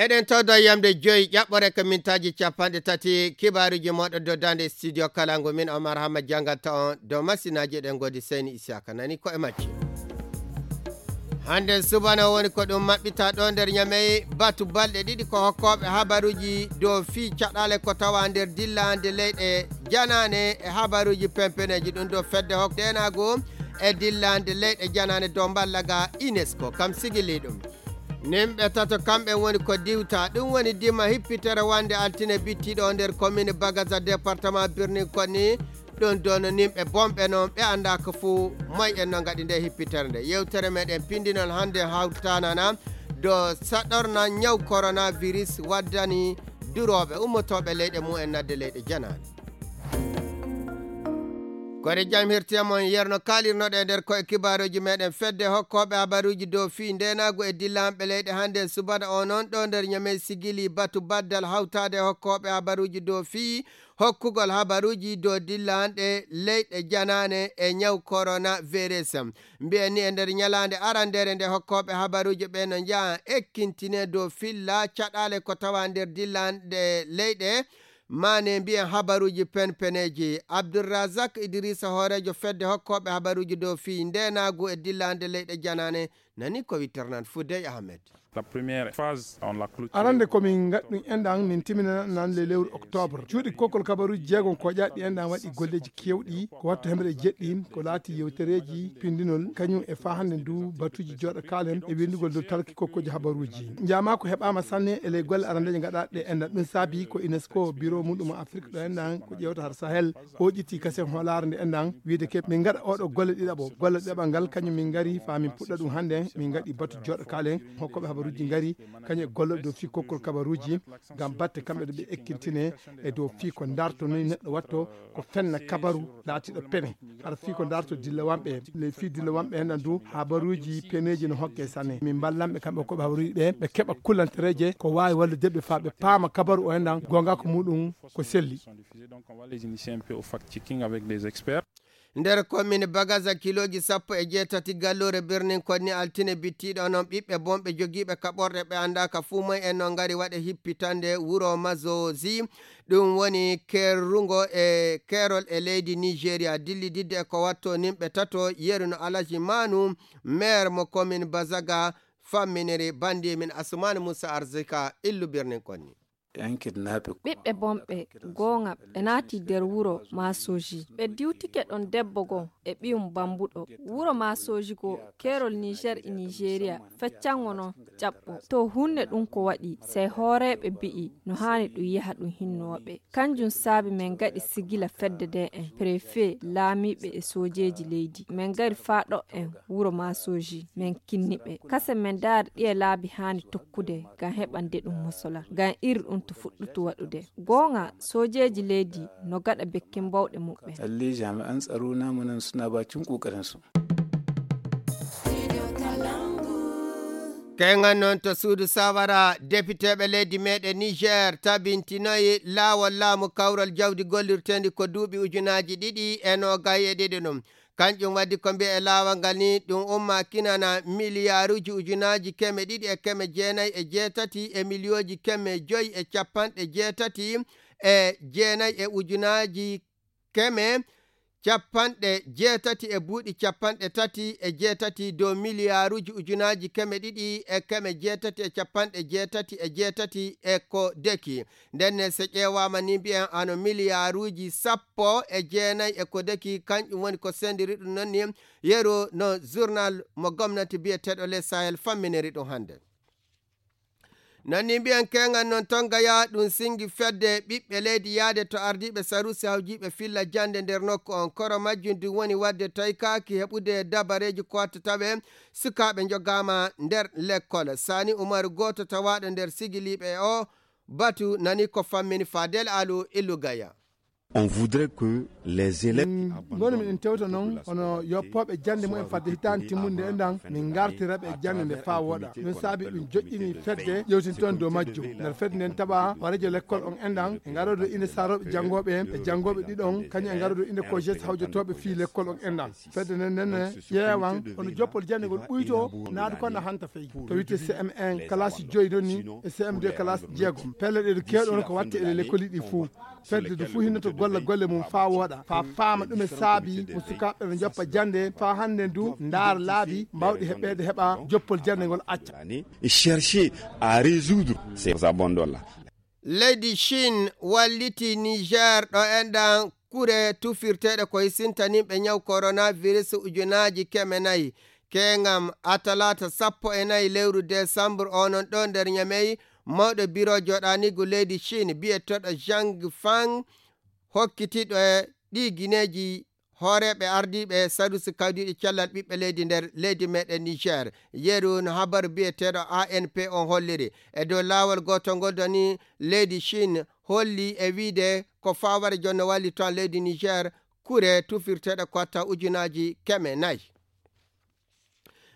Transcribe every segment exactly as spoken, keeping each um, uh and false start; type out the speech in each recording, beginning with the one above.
Eɗen tawdo yamde joyi ƴaɓɓore ko mintaaji capanɗe tati kibaaruji moɗo doddande studio kala ngu min Omar Hamma janganta on dow masinaaji eɗen ngoodi Seyni Isiyaka nani ko e majji. Hannde subana woni ko ɗum maɓɓita ɗo nder Ñamey batu balɗe ɗiɗi ko hokkooɓe habaruuji dow fii caɗaale ko tawa nder dillande leyɗe janaane e habaruuji pempeneeji ɗum dow fedde hok deenaagu e dillande leyɗe janaane dow mballa ga UNESCO kam sigili ɗum. Nimɓe tato kamɓe woni ko diwta ɗum woni dima hippitere wande altine bittiɗo nder commune Bagaza département Birnin Konni. Ɗum dono nimɓe bonɓe noon ɓe annda ko fuu moy en no ngaɗi nde hippitere nde yewtere meɗen pindinol hannde hawtanana do saɗorna ñaw coronavirus waddani durooɓe ummotooɓe leyɗe mumen nadde leyɗe janaani. Kore jam hirtiyam on yerno kaalirnoɗe e nder koye kibaaruuji meɗen fedde hokkooɓe habaruuji dow fii ndeenaagu e dillanɓe leyɗe hannde subana o noon ɗo nder Ñamey sigili batu baddal hawtaade hokkooɓe habaruuji dow fii hokkugol habaruuji dow dillanɗe leyɗe janaane e ñaw coronavirus. Mbiyen ni e nder ñalaande arandere nde hokkooɓe habaruuji ɓe no njaha ekkintine dow filla caɗaale ko tawa nder dillanɗe leyɗe maane mbiyen habaruuji penpeneeji. Abdulrazak Idrisa hooreejo fedde hokkooɓe habaruuji dow fii ndeenaagu e dillanɗe leyɗe janaane nani ko witternan Fudey Ahmed. La première phase, on la clôture. Arande ko min ngaɗ ɗum enɗan min timminanan le lewru octobre. Cuuɗi kokkol kabaruuji jeegom ko ƴaɗɗi enɗan waɗi golleeji kewɗi ko wattu hemre jeɗɗi ko laati yewtereeji pindinol kañum e fa hannde ndu batuuji jooɗo kaalen e winndugol dow talki kokkoji habaruuji. Njaama ko heɓaama sanne e ley golle arandeeje gaɗaaɗe enɗan ɗum saabi ko UNESCO biro muɗum Afrique ɗo enɗan ko ƴeewta har Sahel. O ƴetti kasen hoolaare nde enɗan wiide ke min ngaɗa oɗo golle ɗiɗaɓo golle ɗeɓal ngal kañum min ngari fa min puɗɗa ɗum hannde min ngaɗi batu jooɗo kaalen hokkooɓe habaruuji ngari kañum e golle dow fii kokkol kabaruuji ngam batte kamɓe ɗo ɓe ekkintine e dow fii ko darto ni neɗɗo watto ko fenna kabaru laatiɗo pene hara fii ko darto dillawanɓe le fii dillawanɓe enɗan du habaruuji peneeji no hokke sanne min mballanɓe kamɓe hokkooɓe habaruuji ɓe ɓe keɓa kullantereeje ko waawi wallude ɓe fa ɓe paama kabaru o enɗan goonga ko muɗum ko selli. Donc on va les initier un peu au fact-checking avec des experts. Nder commune Bagaza kilooji sappo e jeetati galluure Birnin Konni altine bittiiɗo onon ɓiɓɓe bonɓe jogiiɓe kaɓorɗe ɓe anndaaka fuu moy en no ngari waɗe hippitande wuro Mazozi. Ɗum woni keerungo e keerol e leydi Nigeria dillididde e ko watto nimɓe tato yeru no Alaji Manu maire mo commune Bazaga famminiri bandi min Asumani Musa Arzika illu Birnin Konni. Ɓiɓɓe bonɓe goonga ɓe naati nder wuro maasooji ɓe diwtike ɗon debbo goo e ɓiyum bambuɗo wuro maasooji goo keerol niger e nigeria feccango non ƴaɓɓo to hunne ɗum ko waɗi sey hooreeɓe mbi'i no haani ɗum yaha ɗum hinnooɓe kanjum saabi men ngaɗi sigila fedde nde en prefe laamiiɓe e soojeeji leydi men ngari faa ɗo en wuro maasooji men kinni ɓe kase men ndaari ɗiye laabi haani tokkude ngam heɓande ɗum mosola ngam iri ɗum to fuɗɗutu waɗude goonga soojeeji leydi no gaɗa bekkin bawɗe muɓɓen. Lalle jami'an tsaro namu nan suna bakin kokarin su. Keŋal noon to suudu sawara depiteeɓe leydi meɗen niger tabintinoyi laawol laamu kawral jawdi gollirteendi ko duuɓi ujunaaji ɗiɗi e noogay e ɗiɗi ɗum kanƴum waddi ko mbiya e laawol ngal ni ɗum umma kinana miliyaaruuji ujunaaji keme ɗiɗi e keme jeenayi e jeetati e miliyooji keme joyi e capanɗe jeetati e jeenayi e ujunaaji keme capanɗe jeetati e buuɗi capanɗe tati e jeetati dow miliyaaruuji ujunaaji keme ɗiɗi e keme jeetati e capanɗe jeetati e jeetati e ko deki. Nden ne so ƴeewaama ni mbiyen hano miliyaaruuji sappo e jeenayi e ko deki kanƴum woni ko sendiri ɗum noon ni yeru no journal mo gomnati biyeteeɗo les sahel famminiri ɗum hannde. Nanni mbiyen keŋal noon toon gaya ɗum singi fedde ɓiɓɓe leydi yahde to ardiiɓe saruusi hawjiiɓe filla jannde nder nokku on koro majjum ɗum woni waɗde toykaaki heɓude dabareeji ko watta tawe sukaaɓe njogaama nder lekkol sani umaru gooto tawaaɗo nder sigiliiɓe o batu nani ko fammini fadel alu illu gaya. On voudrait que les élèves qui abandonnent ngoni miɗen tewta noon hono yoppooɓe jannde mumen fadde hitaande timmunde en ɗan, min ngartira ɓe jannde nde faa wooɗa. Ɗum saabi ɗum joƴƴini fedde ƴewtintoon dow majjum. Nder fedde nden taɓa warejo lekkol on en ɗan e ngarodo inde sarooɓe janngooɓe en e janngooɓe ɗiɗon kañum e ngarodo inde kojes hawjotooɓe fii lekkol on en ɗan. Fedde nden nden ƴeewan hono joppol jannde ngol ɓuyto naadu kon na hanta fey to witte C M un kalasi joyi ɗon ni e C M deux kalasi jeegom. Pelle ɗe ɗo keewɗon ko watte e lekkoli ɗi fuu. Fedde ndu fuu hinnoto golla golle mum faa wooɗa faa faama ɗume saabi mo sukaaɓe ɓe njoppa jannde faa hannde ndu ndaara laabi mbaawɗi heɓeede heɓa joppol jannde ngol acca. Et chercher à résoudre ces abandons-là. Leydi Chine walliti Niger ɗo enɗan kure tufirteeɗe ko hisintaniiɓe ñaw coronavirus ujunaaji keme nayi. Keŋam a talaata sappo e nayi lewru desambre onon ɗo nder Ñamey, mawɗo biro joɗanigu leydi Chine biyeteɗo Zhang Fang hokkitiɗo e ɗi gineeji hooreeɓe ardiiɓe sadusi kawdiiɗo cellal ɓiɓɓe leydi nder leydi meɗen Niger. Yeru no habaru biyeteɗo A N P on holliri. E dow laawol gootol ngol doni leydi Chine holli e wiide ko faaware jonno walli toon leydi Niger kure tufirteeɗe kotta ujunaaji keme nayi.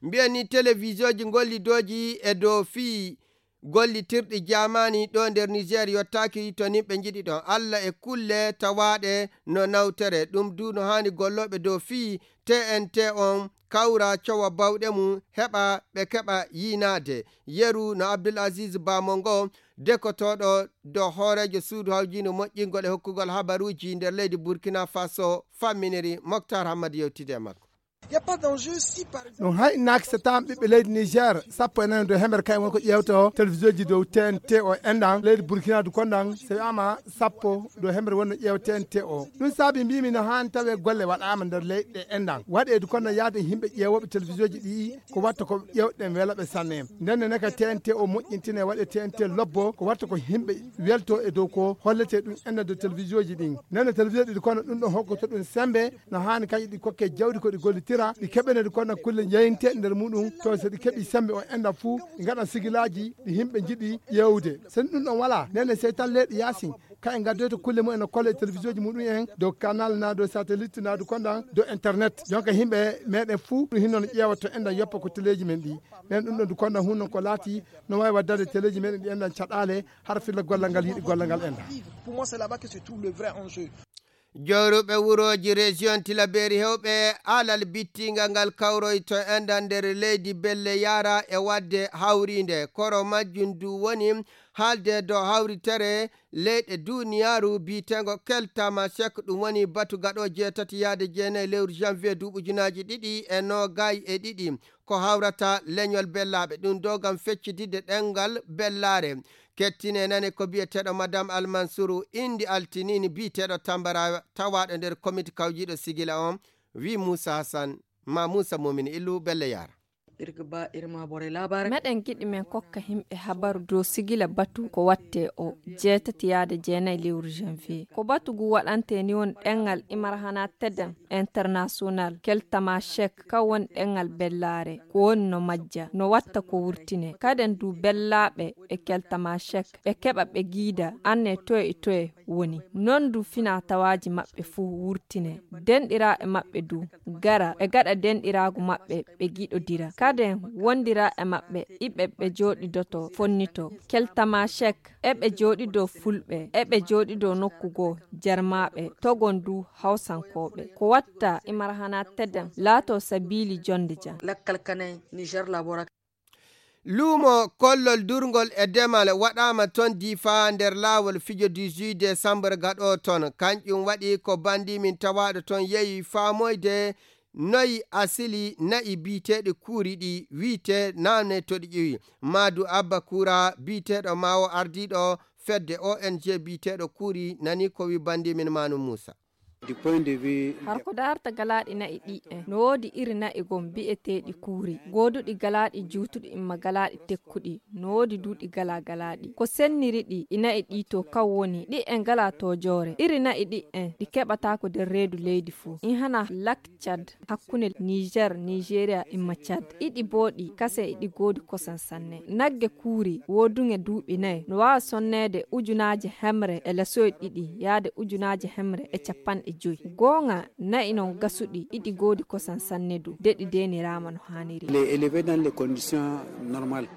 Mbiyen ni telewisioji gollidooji e dow fii gollitirɗi jaamaani ɗo nder Niger yottaaki to nimɓe njiɗi ɗon. Alla e kulle tawaaɗe no nawtere. Ɗum du no haani gollooɓe dow fii T N T on kawra cowa bawɗe mum heɓa ɓe keɓa yiinaade. Yeru no Abdul Aziz Bamongo dekotooɗo dow hooreejo suudu hawjiino moƴƴingol e hokkugol habaruuji nder leydi Burkina Faso famminiri Moktar Hammad yewtide e makko. Ɗum hayɗinaaki so taam ɓiɓɓe leydi Niger sappo e nayo dow hemere kayen woni ko ƴeewto telewisioji dow T N T o enɗan leydi Burkina du konɗan so wiyaama sappo dow hemere wonno ƴeew T N T o. Ɗum saabi mbimi no haani tawe golle waɗaama nder leyɗe enɗan waɗeedu konno yaade yimɓe ƴeewooɓe telewisioji ɗi ko watta ko ƴeewɗen wela ɓe sanne. Nden ne ka T N T o moƴƴintine waɗe T N T lobbo ko watta ko yimɓe welto e dow ko hollete ɗum enɗan dow telewisioji ɗin. Nden ne television ɗi konno ɗum ɗo hokkoto ɗum sembe no haani kañi ɗi kokke jawdi ko ɗi gollitira ɗi keɓene ɗi konno kulle jeyinte nder muɗum to so ɗi keɓi sembe o enɗan fuu ɗi ngaɗan sigilaaji ɗi yimɓe njiɗi ƴeewde. So ɗum ɗon wala nden ne sey tan leyɗe yaasin kaye ngaddoyta kulle mumen no kolla e televisioji muɗum en dow canal na dow satellite na du konɗan dow internet jonka yimɓe meɗen fuu ɗum hinno no ƴeewa to enɗan yoppa ko teleji men ɗi. Nden ɗum ɗon du konɗan hunnon ko laati no wawi waddande teleji meɗen ɗi enɗan caɗale har filla gollal ngal yiɗi gollal ngal enɗan. Jooruɓe wurooji région Tilaberi hewɓe alal bittingal ngal kawroyto enɗan nder leydi belle yara e wadde hawrinde koro majjum du woni haalde dow hawritere leyɗe duniyaaru biitengo keltama sek ɗum woni batu gaɗo jeetati yaade jeenayi lewru janvier duuɓi ujunaaji ɗiɗi e noogay e ɗiɗi ko hawrata leñol bellaaɓe ɗum do ngam feccididde ɗemngal bellaare. Kettine nane ko biyeteeɗo madame Almansuru indi altinini biyeteeɗo Tambara tawaaɗo nder komiti kawjiiɗo sigila on wi Muusa Hasan ma Muusa Mumini Illu Belle Yara. Meɗen giɗi men kokka himɓe habaru dow sigila batu ko watte o jeetati yaade jeenayi lewru janvier ko batu ngu waɗante ni woni ɗemngal imar hana teden international keltama chek ka woni ɗemngal bellaare ko woni no majja no watta ko wurtine kaden du bellaaɓe e keltama chek ɓe keɓa ɓe giida anne toye e toye woni non du fina tawaaji maɓɓe fuu wurtine denɗiraaɓe maɓɓe du gara ɓe gaɗa denɗiraagu maɓɓe ɓe giɗodira kaden wondira e maɓɓe iɓe ɓe jooɗidoto fonnito keltama chek eɓe jooɗido fulɓe eɓe jooɗido nokku goo jarmaaɓe togon du hawsankooɓe ko watta imar hana teden laato sabiili jonde jan. Lakkal kanay Niger labora. Luumo kollol durngol e demal waɗaama ton Difa nder laawol fijo dix-huit décembre gaɗo ton. Kanƴum waɗi ko bandi min tawaaɗo ton yehi faamoyde noy asili na'i biiteeɗi kuuri ɗi wiite nane to ɗi ƴiwi. Maadu Abba Kuura biiteeɗo maawo ardiiɗo fedde O N G biiteeɗo kuuri nani ko wi bandi min Manu Muusa. Har ko daarta galaaɗi na'i ɗi en, no woodi iri na'i gom bi'eteeɗi kuuri, gooduɗi galaaɗi juutuɗi imma galaaɗi tekkuɗi, no woodi du ɗi galaa galaaɗi. Ko senniri ɗi, i na'i ɗi to kaw woni, ɗi en galaa toojoore. Iri na'i ɗi en, ɗi keɓataako nder reedu leydi fuu. In hana Lak Cad, hakkunde Niger, Nigeria imma Cad. Iɗi booɗi, kase iɗi goodi kosan sanne. Nagge kuuri, wooduŋe duuɓi nayi, no waawa sonneede ujunaaje hemre e lesoy ɗiɗi, yaade ujunaaje hemre e capanɗe joy. Gooŋa, na'i non gasuɗi, iɗi goodi kosan sanne du, de ɗi deeniraama no haaniri. Les élever dans les conditions normales.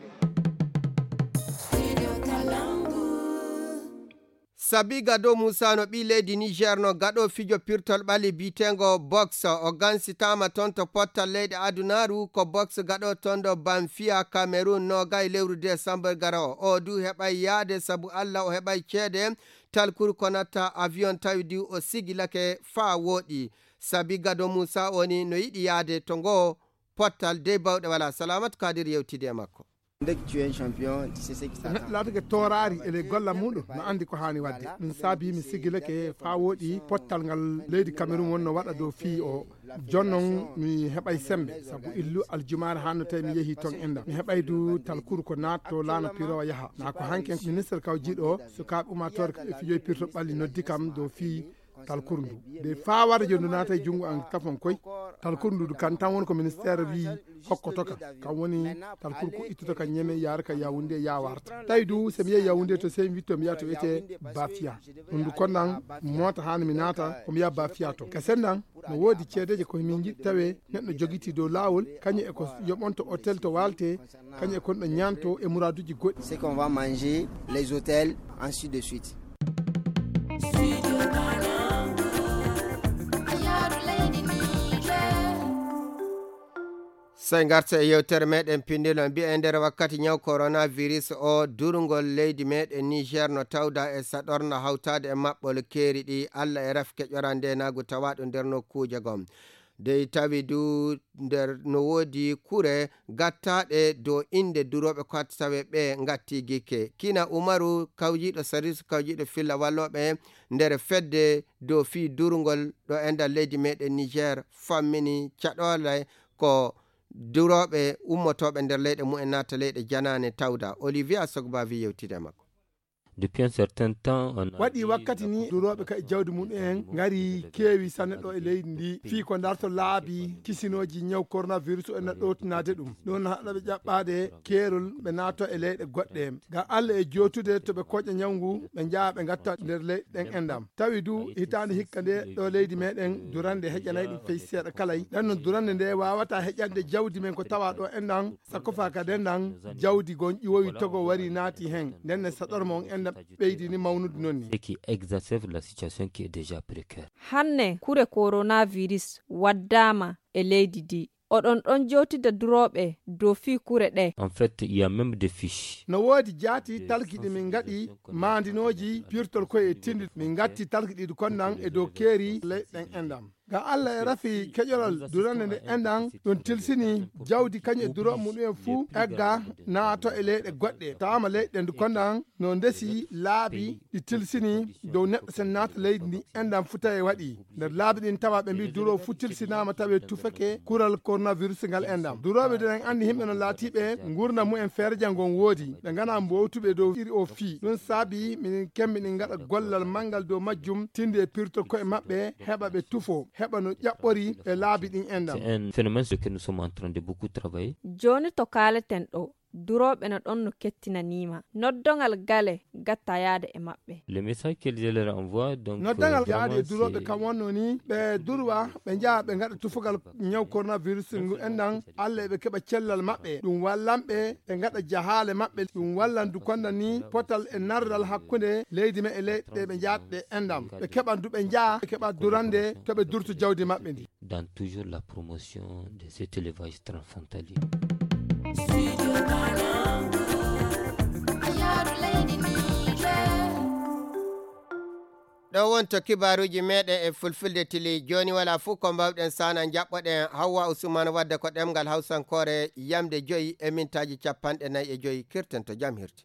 Sabi Gado Musa no ɓii leydi Niger no gaɗo fijo pirtol ɓalli biitengo box. O gansitaama toon to pottal leyɗe adunaaru ko box gaɗo toon ɗo Banfiya, Cameroun, noogay lewru décembre garowo. O du heɓay yaade sabu Alla o heɓay ceede. Talkuru ko natta avion tawi du o sigilake faa wooɗi. Sabi Gado Musa o ni no yiɗi yaade to ngo pottal dey bawɗe wala. Salamatu Kadir yewtidi e makko. Dès que tu es un champion, tu sais ce qui t'attend. Neɗɗo laatake tooraari e ley golla muuɗum, no anndi ko haani waɗde. Ɗum saabi mi sigilake faa wooɗi pottal ngal leydi Cameroun wonno waɗa dow fii o. Jooni noon mi heɓay semmbe, sabu illu aljumaare haa no tawi mi yehii toon enɗam. Mi heɓay du talkuru ko naatto laana pirowa yaha. Naa ko hanki en ministre kawjiiɗo o, sukaaɓe ummaatoore ko ɓe fijoy pirto ɓalli noddi kam dow fii talkuru ndu. De faa warde jooni ndu naata e junngo an tafon koy, talkuru ndu kan tan woni ko ministère wii hokkoto ka. Kan woni talkuru ko ittuto ka Ñeme yaara ka Yawunde ya warta. Tawi du so mi yehi Yawunde to sey mi witto mi yaha to wiyetee Bafia. Ɗum ndu konnan moota haani mi naata ko mi yaha Bafia to. Ka sennan no woodi ceedeeje ko min njiɗi tawe neɗɗo jogitii dow laawol, kañum e ko yoɓonto hôtel to waalte, kañum e kon ɗo ñaanto e muraaduuji goɗɗi. Ce qu'on va manger, les hôtels, ainsi de suite. Sey ngarta e yewtere meɗen pinndilon mbiya e nder wakkati ñaw coronavirus o durngol leydi meɗen Niger no tawda e saɗorna hawtaade e maɓɓol keeri ɗi Alla e rafke ƴoran ndenaagu tawaaɗo nder nokkuuje gom. Dey tawi du nder no woodi kure gattaaɗe dow innde durooɓe ko hatta tawe ɓe ngatti gikke. Kina Umaru kawjiiɗo sarisu kawjiiɗo filla wallooɓe nder fedde dow fii durngol ɗo e nder leydi meɗen Niger fammini caɗoole ko durooɓe ummotooɓe nder leyɗe mumen naata leyɗe janaane tawda. Olivia Sogbavi yewtide e makko. Depuis un certain temps, on a waɗi vu wakkati ni durooɓe ka e jawdi mum en ngari keewi sanne ɗo e leydi ndi fii ko darto laabi kisinooji ñaw coronavirus o ena ɗowtinaade ɗum. Ɗum haɗa ɓe ƴaɓɓaade keerol ɓe naato e leyɗe goɗɗe. Ga Alla e jootude to ɓe koƴa ñaw ngu ɓe njaha ɓe ngatta nder leyɗe ɗen enɗam. Tawi du hitaande hikka nde ɗo leydi meɗen durande heƴanay ɗum fey seeɗa kalay. Ɗen no durande nde waawata heƴande jawdi men ko tawa ɗo enɗam. Sakofa ka dendan jawdi gon ƴiwowi togo wari naati hen. Nden ne saɗorma on enɗam ɓeydini mawnude non ni. Qui exacerbe la situation qui est déjà précaire. Hanne kure coronavirus waddaama e leydi ndi. Oɗon ɗon jowtida durooɓe dow fii kure ɗe. En fait, il y a même des fiches. No woodi jaati talki ɗi min ngaɗi maandinooji pirtol koye e tindi. Min ngatti talki ɗiɗi konnan e dow keeri leyɗen enɗam. Ga Alla e rafi keƴoral durande nde enɗan ɗum tilsini jawdi kañum e durooɓe muɗum en fuu egga naato e leyɗe goɗɗe. Taama leyɗe ndu konnan no ndesi laabi ɗi tilsini dow neɗɗo sen naata leydi ndi enɗan fuu tawi waɗi. Nder laabi ɗin tawa ɓe mbii duroo fuu tilsinaama tawi tufake kural coronavirus ngal enɗan. Durooɓe den anndi himɓe no laatiiɓe ngurndan mumen feere jango on woodi. Ɓe ngana mbowtuɓe dow iri o fii. Ɗum saabi minen kemmi ɗin ngaɗa gollal manngal dow majjum tindi e pirto koye maɓɓe heɓa ɓe tufo heɓa no ƴaɓɓori e laabi ɗin enɗan. C'est un phénomène sur lequel nous sommes en train de beaucoup travailler. Jooni to kaaleten ɗo, durooɓe no ɗon no kettinaniima. Noddongal gale gatta yaade e maɓɓe. Le message que je leur envoie, donc, noddangal yaade e durooɓe kam wonno ni ɓe durwa ɓe njaha ɓe ngaɗa tufugal ñaw coronavirus ngu enɗan Alla eɓe keɓa cellal maɓɓe. Ɗum wallan ɓe ɓe ngaɗa jahaale maɓɓe. Ɗum wallan du konda ni potal e nardal hakkunde leydi men e leyɗe ɗe ɓe njaata ɗe enɗam. Ɓe keɓan du ɓe njaha ɓe keɓa durande to ɓe durto jawdi maɓɓe ndi. Dans toujours la promotion de cet élevage transfrontalier. Ɗo wonto kibaaruuji meɗen e fulfulde tili. Jooni wala fuu ko mbawɗen sana jaɓɓoɗen Hawwa Usman wadde ko ɗemngal hawsankoore yamde joyi e mintaaji capanɗe nayi e joyi. Kirten to jam hirti.